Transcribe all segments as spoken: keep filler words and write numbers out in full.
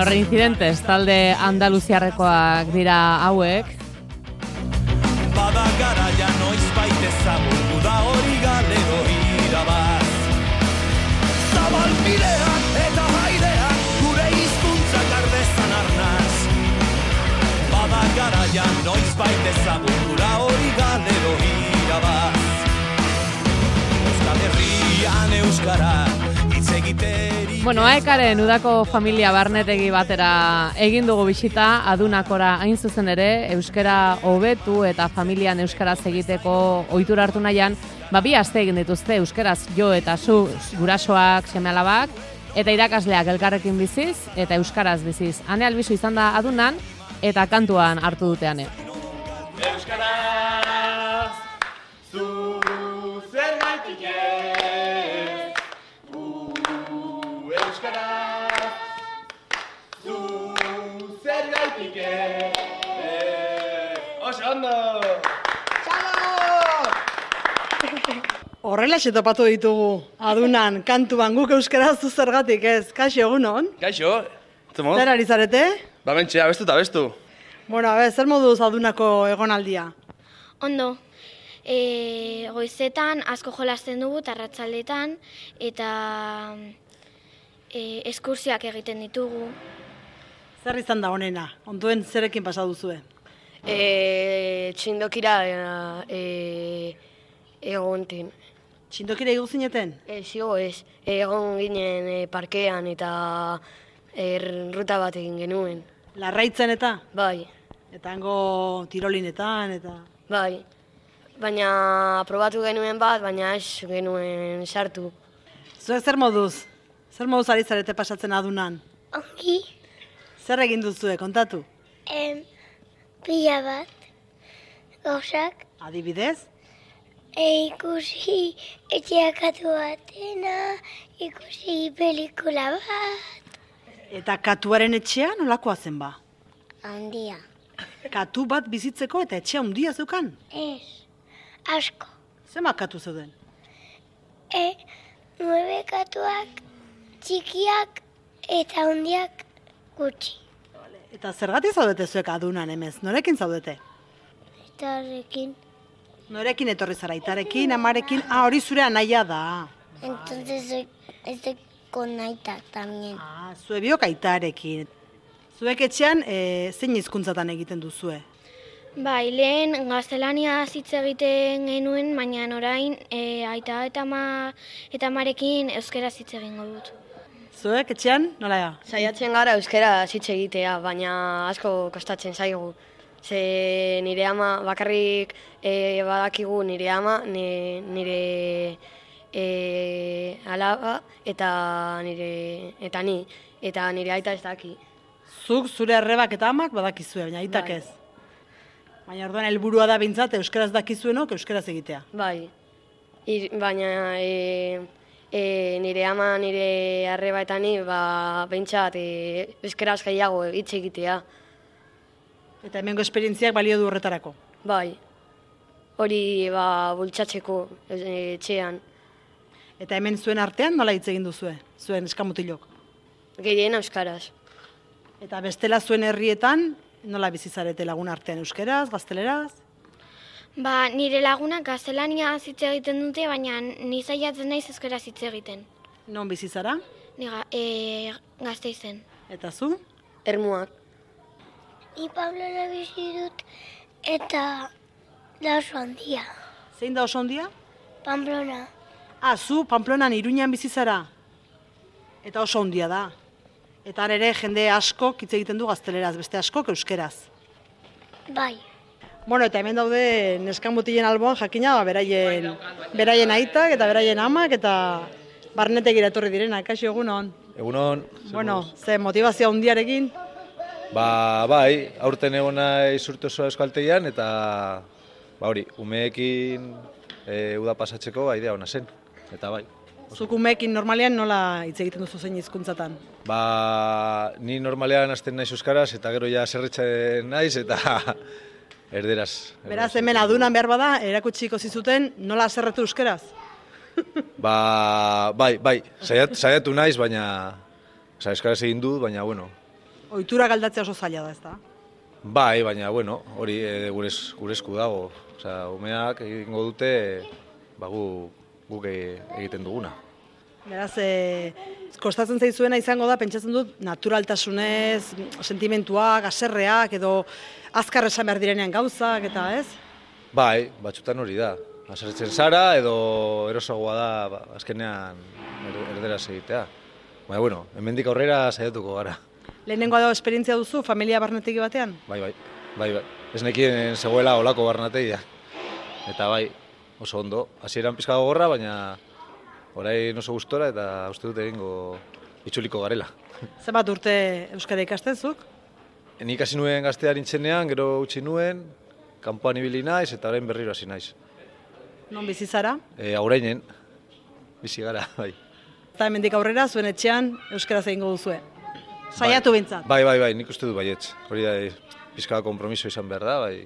Bueno, Reincidentes, talde andaluziarrekoak dira hauek. Bada garaia noiz baita ezagutu da hori galero irabaz. Zabalbideak eta haideak gure hizkuntzak ardezan arnaz. Bada garaia noiz baita ezagutu da hori galero irabaz. Euskal Herrian euskara hitz egiteri. Bueno, aekaren udako familia barnetegi batera egin dugu bisita, adunakora hain zuzen ere, euskara hobetu eta familian euskaraz egiteko ohitura hartu nahian, ba bi aste egin dituzte euskaraz jo eta zu gurasoak, seme-alabak, eta irakasleak elkarrekin biziz eta euskaraz biziz. Ane Albizu izan da adunan eta kantuan hartu dute ane. Euskaraz, zu zergaitik ez, gu euskaraz, zu zergaitik ez. Oso ondo! Horrelaxe topatu ditugu, adunan, kantuan, guk euskaraz zu zergatik ez. Kaixo, egunon? Kaixo, zemo? Zer ari zarete? Ba mentxe, abestu eta abestu. Bueno, a ber, zer moduz adunako egonaldia? Ondo, e, goizetan asko jolasten dugu arratsaldetan eta e, eskursioak egiten ditugu. Zer izan da honena? Onduen zerekin pasa duzue? E, txindokira e, egonten. Txindokira igo zineten? E, zigo ez, egon ginen e, parkean eta er, ruta bat egin genuen. Larraitzen eta? Bai, Eta hango tirolinetan eta... bai. Baina probatu genuen bat, baina ez genuen sartu. Zuek zer moduz? Zer moduz ari zarete pasatzen adunan? Ongi, Zer egin duzue, kontatu? em, pila bat, gauzak, Adibidez? e, ikusi etxeakatu batena, ikusi pelikula bat. Eta katuaren etxea nolakoa zen ba? Handia. Katu bat bizitzeko eta etxea handia zeukan? Ez, asko. Zenbat katu zeuden? E, nueve katuak, txikiak eta handiak gutxi. Eta zergatik zaudete zuek adunan emez? Norekin zaudete? Eta horrekin, Norekin etorri zara, aitarekin, amarekin, ah, hori zure anaia da. entonces soy, estoy con Aita también. Ah, zue biok aitarekin. Zuek etxean, e, zein hizkuntzatan egiten duzue? Bai, lehen gaztelania hitz egiten genuen, baina orain e, aita eta ama eta amarekin euskaraz hitz egingo dut. Zuek etxean, nola da? Saiatzen gara euskara hitz egitea, baina asko kostatzen zaigu. Ze nire ama bakarrik e, badakigu nire ama, ni- nire e, alaba eta nire eta ni eta nire aita ez daki. Zuk zure arrebak eta amak badakizue, baina aitak Bai. ez. Baina orduan helburua da bintzat euskaraz dakizuenok euskaraz egitea. Bai. Ir, baina e, e, nire ama, nire arreba eta ni ba behintzat e, euskaraz gehiago hitz egitea. Eta hemengo esperientziak balio du horretarako. Bai. Hori ba bultzatzeko e, etxean. Eta hemen zuen artean nola hitz egin duzue, zuen eskamutilok. Gehien euskaraz. Eta bestela zuen herrietan, nola bizizarete lagun artean euskeraz, gazteleraz? Ba, nire lagunak gaztelania hitz egiten dute, baina ni saiatzen naiz euskaraz hitz egiten. Non bizizara? Ni ga, e, Gasteizen. Eta zu? Ermuak. Ni Pablora bizi dut eta da oso handia. Zein da oso ondia? Pamplona. Ah, zu Pamplonan Iruñan bizizara. Eta oso ondia da. Eta han ere jende asko hitz egiten du gazteleraz, beste askok euskeraz. Bai. Bueno, eta hemen daude neskamutilen alboan jakina, ba, beraien, beraien aitak eta beraien amak eta barnetegira etorri direnak, kaixo egunon. Egunon. Bueno, ze motivazio handiarekin, Ba, bai, aurten egon naiz urte osoa euskaltegian eta ba hori, umeekin e, uda pasatzeko ba, idea ona zen. Eta bai. zuk umeekin normalean nola hitz egiten duzu zein hizkuntzatan? Ba, ni normalean hasten naiz euskaraz eta gero ja zerretzen naiz eta erderaz. Beraz, hemen adunan behar bada, erakutsiko zizuten nola zerretu euskeraz? Ba, bai, bai, saiatu, saiatu naiz, baina, oza, euskaraz egin dut, baina, bueno, Ohitura galdatzea oso zaila da, ezta? Bai, baina, bueno, hori e, gure es- gure esku dago. Osea, umeak egingo dute, ba, gu, guk e- egiten duguna. Beraz, e, kostatzen zaizuena izango da, pentsatzen dut, naturaltasunez, sentimentuak, haserreak, edo azkar esan behar direnean gauzak, eta ez? Bai, batzutan hori da. Haserretzen zara edo erosoagoa da ba, azkenean er- erderaz egitea. Baina, bueno, hemendik aurrera saiatuko gara. Lehenengoa da esperientzia duzu, familia barnetegi batean? Bai, bai, bai, bai. Ez nekien zegoela olako barnategia. Eta bai, oso ondo. Hasieran pizka gogorra, baina orain oso gustora eta uste dut egingo itzuliko garela. Zenbat urte euskara ikastezuk? Nik hasi nuen gaztea nintzenean, gero utzi nuen, kanpoan ibili naiz eta orain berriro hasi naiz. Non bizi zara? E, aurainen, bizi gara, bai. Eta hemendik aurrera, zuen etxean euskaraz egingo duzue. Saiatu bintzat. Bai, bai, bai, nik uste dut baietz. Hori da, pizka konpromiso izan behar da, bai,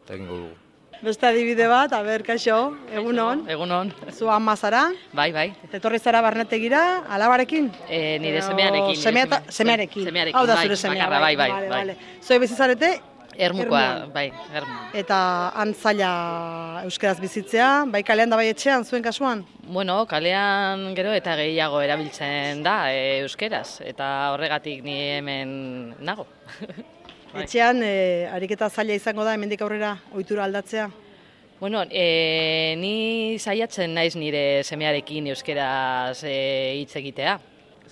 eta egingo dugu. Beste adibide bat, aber, kaixo, egunon. Egunon. Zu ama zara, Bai, bai. eta etorri zara barnetegira, alabarekin? E, nire Edo semearekin. nire semea ta- seme- semearekin. Semearekin, Hau da bai, zure semea, bakarra, bai, bai, Vale, bai. vale. Zuek bizi zarete, Ermukoa, Ermuan. bai, ermu. eta han zaila euskaraz bizitzea, bai kalean da bai etxean, zuen kasuan? Bueno, kalean gero eta gehiago erabiltzen da e, euskeraz, eta horregatik ni hemen nago. Bai. Etxean, e, ariketa zaila izango da, hemendik aurrera, ohitura aldatzea? Bueno, e, ni saiatzen naiz nire semearekin euskeraz e, hitz egitea.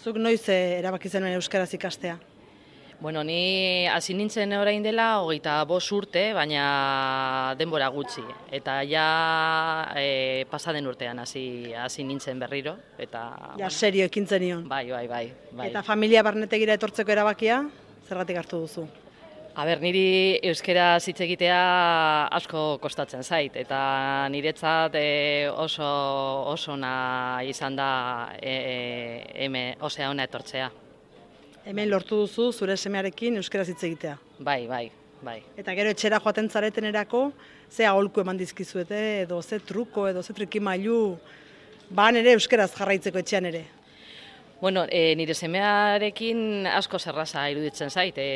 Zuk noiz e, erabaki zenuen euskaraz ikastea? Bueno, ni hasi nintzen orain dela hogeita bost urte, baina denbora gutxi. Eta ja e, pasaden urtean hasi hasi nintzen berriro. Eta, Ja, serio ekintzen nion. Bai, bai, bai. bai. Eta familia barnetegira etortzeko erabakia, zergatik hartu duzu? A ber, niri euskera hitz egitea asko kostatzen zait, eta niretzat e, oso oso ona izan da e, eme, osea ona etortzea. Hemen lortu duzu zure semearekin euskaraz hitz egitea. Bai, bai, bai. Eta gero etxera joaten zaretenerako, ze aholku eman dizkizuete, edo ze truko, edo ze trikimailu, ban ere euskaraz jarraitzeko etxean ere. Bueno, e, nire semearekin asko zerraza iruditzen zait e,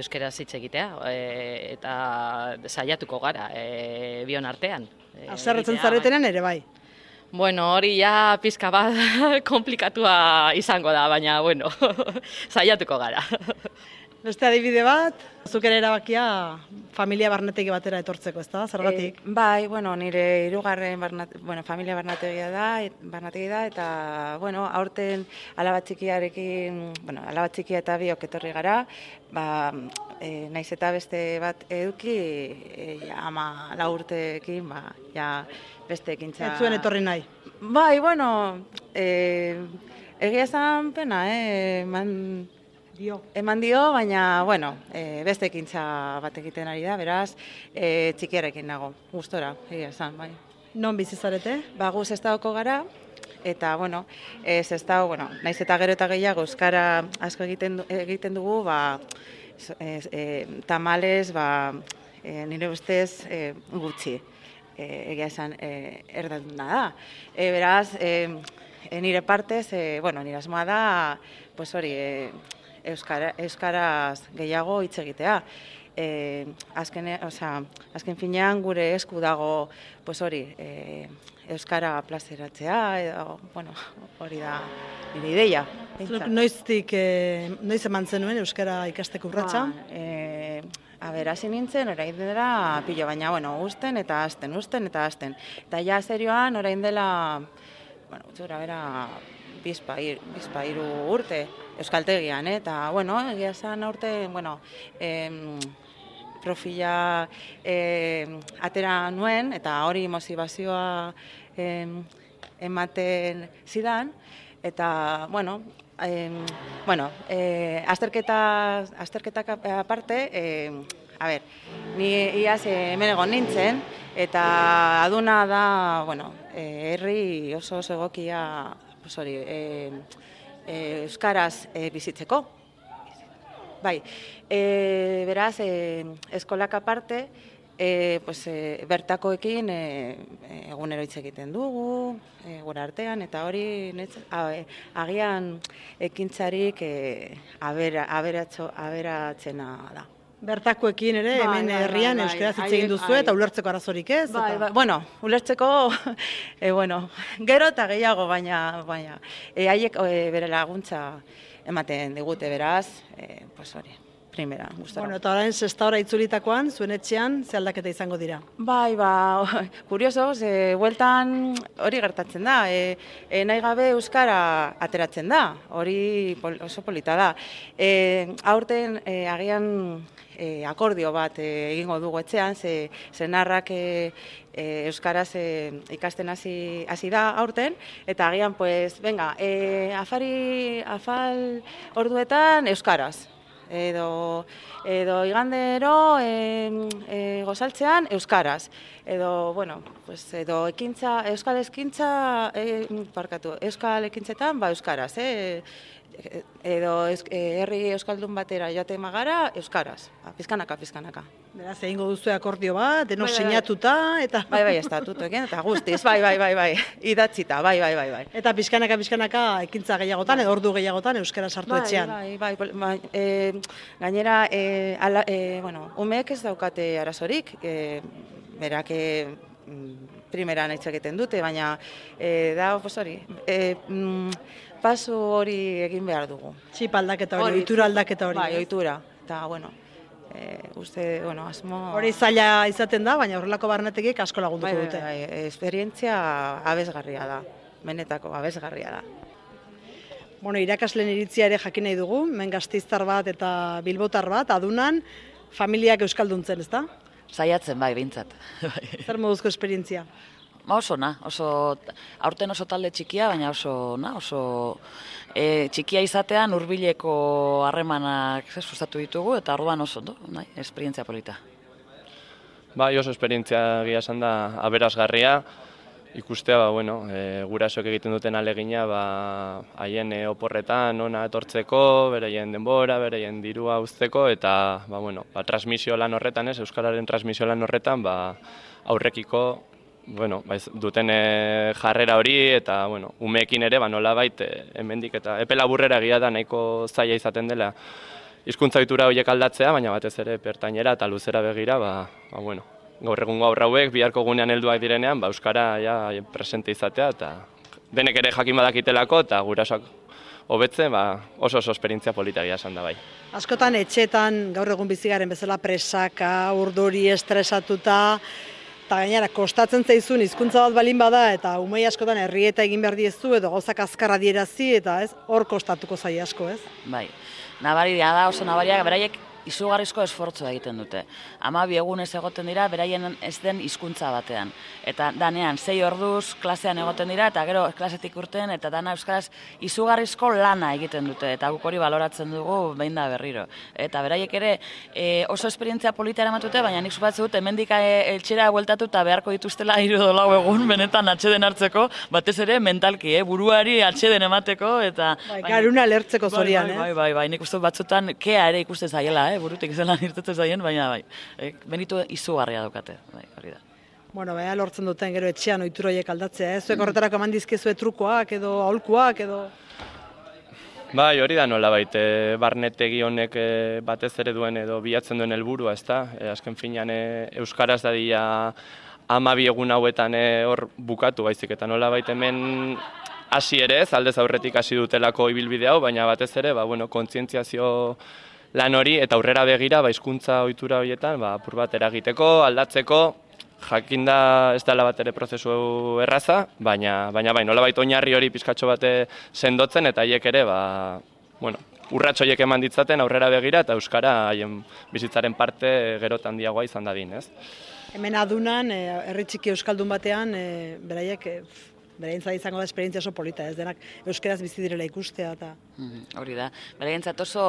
euskeraz hitz egitea, e, eta saiatuko gara e, bion artean. E, Haserretzen egitea, zaretenean ere bai. Bueno, hori ja pizka bat komplikatua izango da, baina, bueno, saiatuko gara. Beste adibide bat, zuk ere erabakia familia barnetegi batera etortzeko, ezta? Zergatik? E, bai, bueno, nire hirugarren barnat, bueno, familia barnategia da, et, barnategi da, eta, bueno, aurten alaba txikiarekin, bueno, alaba txikia eta biok etorri gara, ba, e, naiz eta beste bat eduki, e, ja, ama lau urteekin, ba, ja, beste ekintza... Ez zuen etorri nahi? Bai, bueno, e, egia esan pena, eh, man... Dio. Eman dio, baina, bueno, e, beste ekintza bat egiten ari da, beraz, e, txikiarekin nago, gustora, egia esan, bai. Non bizi zarete? Ba, gu Sestaoko gara, eta, bueno, e, Sestao, bueno, naiz eta gero eta gehiago euskara asko egiten, du, egiten dugu, ba, e, e, tamales, ba, e, nire ustez e, gutxi, e, egia esan, e, erdalduna da. E, beraz, e, e, nire partez, e, bueno, nire asmoa da, pues hori, e, Euskara, euskaraz gehiago hitz egitea. E, azken, osea, azken finean gure esku dago pues hori, e, euskara plazeratzea, edo, bueno, hori da nire ideia. Zuk noiztik, e, noiz eman zenuen euskara ikasteko urratsa? Ba, e, a ber, hasi nintzen, orain dela pilo, baina, bueno, usten eta hasten, usten eta hasten. Eta ja serioan, orain dela, bueno, gutxura bera, bizpa, ir, bizpa iru urte euskaltegian, eh? Eta, bueno, egia esan urte, bueno, em, profila em, atera nuen, eta hori motibazioa em, ematen zidan, eta, bueno, em, bueno, eh, azterketa, azterketak aparte, em, a ber, ni iaz hemen egon nintzen, eta aduna da, bueno, eh, herri oso oso egokia, pues hori, eh, eh, euskaraz eh, bizitzeko. Bai, e, beraz, e, eskolak aparte, e, pues, e, bertakoekin e, egunero hitz egiten dugu, e, gure artean, eta hori netz, a, e, agian ekintzarik e, abera, aberatxo, aberatzena da. Bertakoekin ere, Bai, hemen bai, herrian bai, bai. euskaraz hitz Haiek, egin duzu bai. eta ulertzeko arazorik ez? Bai, eta- bai. Bueno, ulertzeko, e, bueno, gero eta gehiago, baina, baina, e, haiek e, bere laguntza ematen digute, beraz, e, pues hori, primera, gustora. Bueno, eta orain sexta hora itzulitakoan, zuen etxean, ze aldaketa izango dira? Bai, ba, kurioso, ze bueltan hori gertatzen da, e, e, nahi gabe euskara ateratzen da, hori pol, oso polita da. E, aurten e, agian e, akordio bat e, egingo dugu etxean, ze senarrak e, e, euskaraz e, ikasten hasi hasi da aurten, eta agian, pues, venga, e, afari, afal orduetan euskaraz. Edo, edo igandero e, e, gozaltzean euskaraz. Edo, bueno, pues, edo ekintza, euskal ekintza, e, parkatu, euskal ekintzetan, ba, euskaraz, eh? Edo ez, e, herri euskaldun batera joaten magara, euskaraz, ba, pizkanaka, pizkanaka. Beraz, egingo duzu akordio bat, denok Bai, bai, bai. sinatuta, eta... Bai, bai, estatutuekin, eta guztiz, bai, bai, bai, bai, idatzita, bai, bai, bai, bai. Eta pizkanaka, pizkanaka, ekintza gehiagotan, edo ordu gehiagotan, euskara sartu Bai, etxean. bai, bai, bai, bai, e, gainera, e, ala, e, bueno, umeek ez daukate arazorik, e, berak e, primeran hitz egiten dute, baina e, da, pues hori, e, mm, pasu hori egin behar dugu. Txip aldaketa hori, ohitura aldaketa hori. Bai, ez? ohitura, eta, bueno, e, uste, bueno, asmo... Hori zaila izaten da, baina horrelako barnetegik asko lagunduko bai, dute. bai, bai, esperientzia abesgarria da, benetako abesgarria da. Bueno, irakasleen iritzia ere jakin nahi dugu, hemen Gasteiztar bat eta bilbotar bat, adunan, familiak euskalduntzen, ezta? Saiatzen bai, behintzat. Zer moduzko esperientzia? Ba oso na, oso, aurten oso talde txikia, baina oso na, oso e, txikia izatean hurbileko harremanak ze, sustatu ditugu, eta orduan oso, do, nahi, esperientzia polita. Bai, oso esperientzia egia esan da aberasgarria, ikustea, ba, bueno, e, gurasoek egiten duten alegina, ba, haien e, oporretan ona etortzeko, bereien denbora, bereien dirua uzteko, eta, ba, bueno, ba, transmisio lan horretan, ez, euskararen transmisio lan horretan, ba, aurrekiko, bueno, ba, duten e, jarrera hori, eta, bueno, umeekin ere, ba, nolabait, e, hemendik eta epe laburrera egia da nahiko zaila izaten dela hizkuntza ohitura horiek aldatzea, baina batez ere pertainera eta luzera begira, ba, ba, bueno, gaur egungo haur hauek biharko gunean helduak direnean, ba, euskara ja presente izatea, eta denek ere jakin badakitelako, eta gurasoak hobetzen, ba, oso oso esperientzia polita egia esan da bai. Askotan etxetan gaur egun bizigaren bezala presaka, urduri, estresatuta, eta gainera kostatzen zaizun hizkuntza bat balin bada, eta umei askotan herrieta egin behar diezu, edo gauzak azkar adierazi, eta ez, hor kostatuko zaie asko, ez? Bai, nabaria da, oso nabaria, beraiek izugarrizko esfortzua egiten dute. Hamabi egunez egoten dira, beraien ez den hizkuntza batean. Eta danean, sei orduz klasean egoten dira, eta gero klasetik urten, eta dana euskaraz izugarrizko lana egiten dute, eta guk hori baloratzen dugu behin da berriro. Eta beraiek ere e, oso esperientzia polita eramatute, baina nik supatzen dut, hemendik etxera bueltatu eta beharko dituztela hiru edo lau egun, benetan atxeden hartzeko, batez ere mentalki, eh, buruari atxeden emateko, eta... Bai, garuna lertzeko zorian, bai, eh? bai, bai, bai, nik uste dut batzutan kea ere ikusten zaiela, eh, burutik zelan irtetzen zaien, baina bai, eh, benitu izugarria daukate, bai, hori da. Bueno, bea lortzen duten gero etxean ohitura horiek aldatzea, ez? Zuek horretarako eman dizkezue trukoak edo aholkuak edo... Bai, hori da nolabait, e, barnetegi honek e, batez ere duen edo bilatzen duen helburua, ezta? E, azken finean e, euskaraz dadia hamabi egun hauetan e, hor bukatu baizik, eta nolabait hemen hasi ere ez, aldez aurretik hasi dutelako ibilbide hau, baina batez ere, ba, bueno, kontzientziazio lan hori eta aurrera begira, ba, hizkuntza ohitura horietan, ba, apur bat eragiteko, aldatzeko, jakinda ez dela bat ere prozesu erraza, baina, baina bai, nolabait oinarri hori pizkatxo bate sendotzen, eta haiek ere, ba, bueno, urrats horiek eman ditzaten aurrera begira, eta euskara haien bizitzaren parte gero eta handiagoa izan dadin, ez? Hemen adunan, eh, herri txiki euskaldun batean, eh, beraiek, eh, beraientzat izango da esperientzia oso polita, ez denak euskeraz bizi direla ikustea eta... Mm, hori da, beraientzat oso,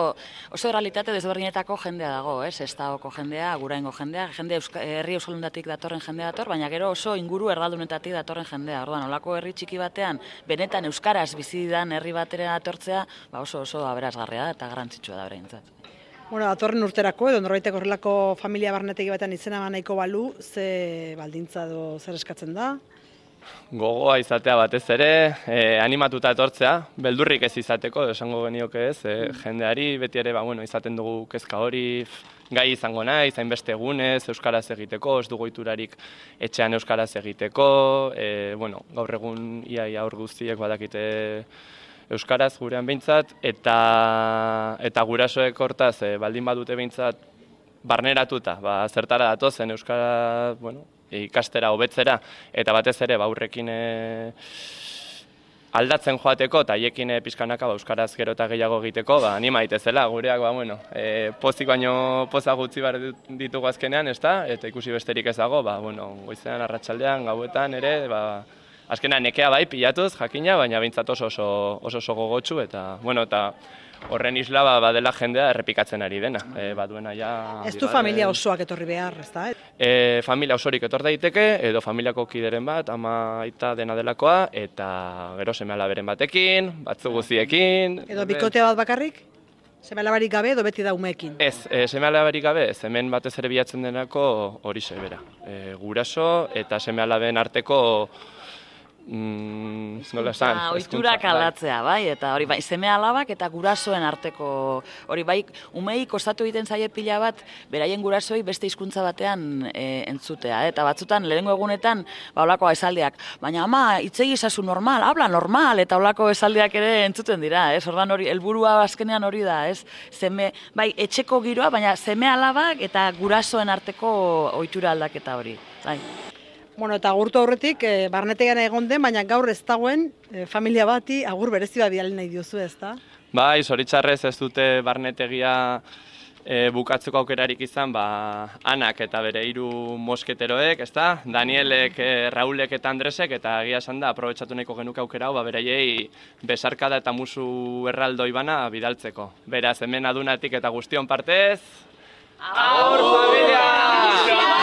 oso realitate desberdinetako jendea dago, ez? Estaoko jendea, guraingo jendea, jende euska, herri euskaldunetatik datorren jendea dator, baina gero oso inguru erdaldunetatik datorren jendea. Orduan, olako herri txiki batean, benetan euskaraz bizi dan herri batera datortzea, ba oso oso aberasgarria da eta garrantzitsua da beraientzat. Bueno, datorren urterako edo norbaitek horrelako familia barnetegi batean izena eman nahiko balu, ze baldintza edo zer eskatzen da? Gogoa izatea batez ere, eh, animatuta etortzea, beldurrik ez izateko, esango genioke ez, eh, jendeari beti ere ba, bueno, izaten dugu kezka hori, gai izango naiz, hainbeste egunez, euskaraz egiteko, ez dugu ohiturarik etxean euskaraz egiteko, eh, bueno, gaur egun iaia hor guztiek badakite euskaraz gurean behintzat, eta, eta gurasoek hortaz e, baldin badute behintzat barneratuta, ba, zertara datozen euskara, bueno, ikastera hobetzera, eta batez ere ba, aurrekin e, aldatzen joateko, eta haiekin e, pixkanaka ba, euskaraz gero eta gehiago egiteko, ba, anima daitezela, gureak, ba, bueno, e, pozik baino poza gutxi behar ditugu azkenean, ezta? Eta ikusi besterik ez dago, ba, bueno, goizean, arratsaldean, gauetan ere, ba, azkenean nekea bai pilatuz, jakina, baina behintzat oso oso, oso, oso gogotsu, eta, bueno, eta horren isla ba, badela jendea errepikatzen ari dena. E, baduena ja... Ez du familia osoak etorri behar, ez da? E, familia osorik etor daiteke, edo familiako kideren bat, ama aita dena delakoa, eta gero seme alaberen batekin, batzu guziekin... Edo bikotea bat bakarrik? Seme alabarik gabe edo beti da umeekin? Ez, e, seme alabarik gabe, ez, hemen batez ere bilatzen denako hori bera. E, guraso eta seme alaben arteko Mm, nola esan? Ohiturak aldatzea, bai, eta hori bai, seme alabak eta gurasoen arteko, hori bai, umei kostatu egiten zaie pila bat, beraien gurasoei beste hizkuntza batean e, entzutea, eta batzutan, lehenengo egunetan, ba, holako esaldiak, baina ama, hitzegi ezazu normal, habla normal, eta holako esaldiak ere entzuten dira, ez, ordan hori, helburua azkenean hori da, ez, seme, bai, etxeko giroa, baina seme alabak eta gurasoen arteko ohitura aldaketa hori, bai. Bueno, eta agurtu aurretik, e, barnetegian egon den, baina gaur ez dagoen e, familia bati agur berezi bat bidali nahi diozu, ez da? Bai, zoritxarrez ez dute barnetegia e, bukatzeko aukerarik izan, ba, Anak eta bere hiru mosketeroek, ez da? Danielek, e, Raulek eta Andresek, eta egia esan da, aprobetxatu nahiko genuke aukera hau, ba, beraiei besarkada eta musu erraldoi bana bidaltzeko. Beraz, hemen adunatik eta guztion partez... Agur, familia!